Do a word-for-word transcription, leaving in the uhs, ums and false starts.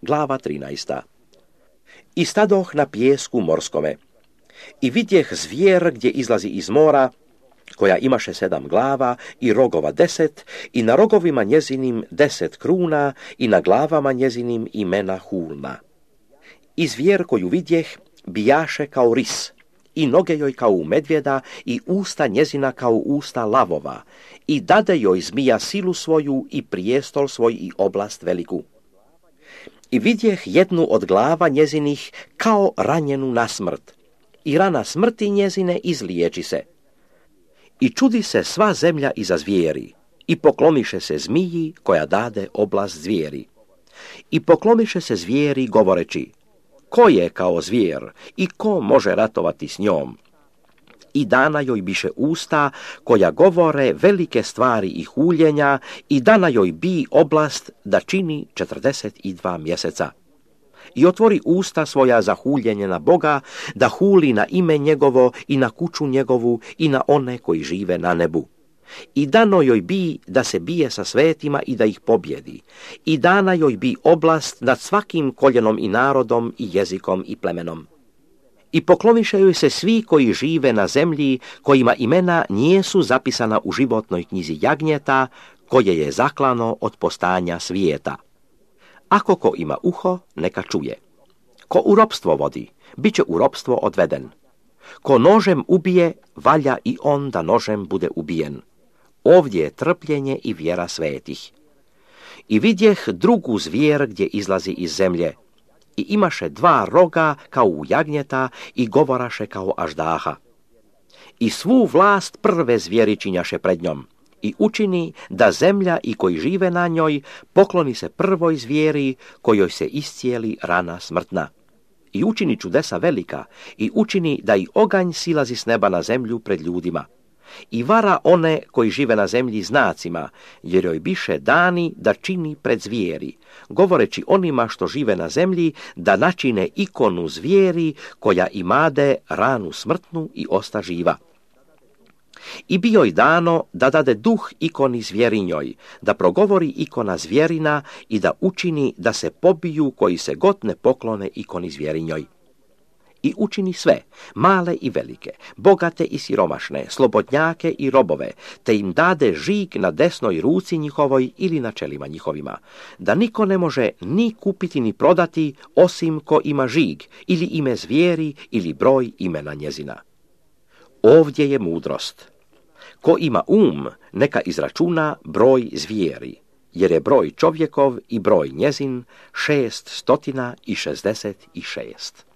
Glava trinaesta. I stadoh na pijesku morskome. I vidjeh zvijer gdje izlazi iz mora, koja imaše sedam glava i rogova deset, i na rogovima njezinim deset kruna, i na glavama njezinim imena hulna. I zvijer koju vidjeh bijaše kao ris, i noge joj kao u medvjeda, i usta njezina kao usta lavova, i dade joj zmija silu svoju, i prijestol svoj, i oblast veliku. I vidjeh jednu od glava njezinih kao ranjenu na smrt, i rana smrti njezine izliječi se. I čudi se sva zemlja iza zvijeri, i pokloniše se zmiji koja dade oblast zvijeri. I pokloniše se zvijeri govoreći, ko je kao zvijer i ko može ratovati s njom? I dana joj biše usta koja govore velike stvari i huljenja, i dana joj bi oblast da čini četrdeset dva mjeseca. I otvori usta svoja za huljenje na Boga, da huli na ime njegovo i na kuću njegovu i na one koji žive na nebu. I dano joj bi da se bije sa svetima i da ih pobjedi. I dana joj bi oblast nad svakim koljenom i narodom i jezikom i plemenom. I pokloniše joj se svi koji žive na zemlji, kojima imena nijesu zapisana u životnoj knjizi jagnjeta, koje je zaklano od postanja svijeta. Ako ko ima uho, neka čuje. Ko u ropstvo vodi, bit će u ropstvo odveden. Ko nožem ubije, valja i on da nožem bude ubijen. Ovdje je trpljenje i vjera svetih. I vidjeh drugu zvijer gdje izlazi iz zemlje. I imaše dva roga kao u jagnjeta i govoraše kao aždaha. I svu vlast prve zvijeri činjaše pred njom. I učini da zemlja i koji žive na njoj pokloni se prvoj zvijeri kojoj se iscijeli rana smrtna. I učini čudesa velika i učini da i oganj silazi s neba na zemlju pred ljudima. I vara one koji žive na zemlji znacima, jer joj biše dani da čini pred zvijeri, govoreći onima što žive na zemlji da načine ikonu zvijeri koja imade ranu smrtnu i osta živa. I bi joj dano da dade duh ikoni zvjerinjoj, da progovori ikona zvjerina i da učini da se pobiju koji se god ne poklone ikoni zvjerinjoj. I učini sve, male i velike, bogate i siromašne, slobodnjake i robove, te im dade žig na desnoj ruci njihovoj ili na čelima njihovima, da niko ne može ni kupiti ni prodati osim ko ima žig ili ime zvijeri ili broj imena njezina. Ovdje je mudrost. Ko ima um, neka izračuna broj zvijeri, jer je broj čovjekov i broj njezin šest stotina i šezdeset i šest.